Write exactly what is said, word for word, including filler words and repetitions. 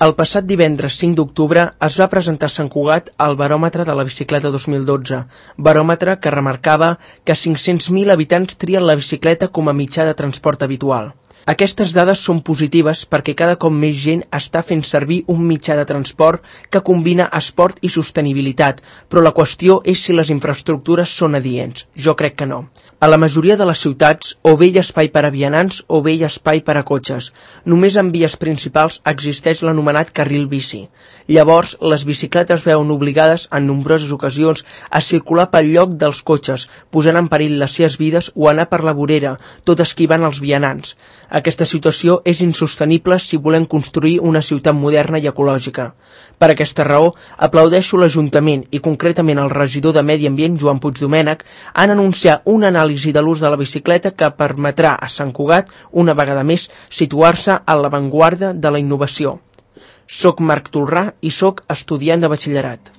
El passat divendres cinc d'octubre es va presentar a Sant Cugat el baròmetre de la bicicleta dos mil dotze, baròmetre que remarcava que cinc-cents mil habitants trien la bicicleta com a mitjà de transport habitual. Aquestes dades són positives perquè cada cop més gent està fent servir un mitjà de transport que combina esport i sostenibilitat, però la qüestió és si les infraestructures són adients. Jo crec que no. A la majoria de les ciutats o bé hi ha espai per a vianants o bé hi ha espai per a cotxes. Només en vies principals existeix l'anomenat carril bici. Llavors, les bicicletes veuen obligades en nombroses ocasions a circular pel lloc dels cotxes, posant en perill les seves vides o anar per la vorera, tot esquivant els vianants. Aquesta situació és insostenible si volem construir una ciutat moderna i ecològica. Per aquesta raó, aplaudeixo l'Ajuntament i concretament el regidor de Medi Ambient, Joan Puigdomènech, han anunciat una anàlisi de l'ús de la bicicleta que permetrà a Sant Cugat, una vegada més, situar-se a l'avantguarda de la innovació. Soc Marc Tolrà i soc estudiant de batxillerat.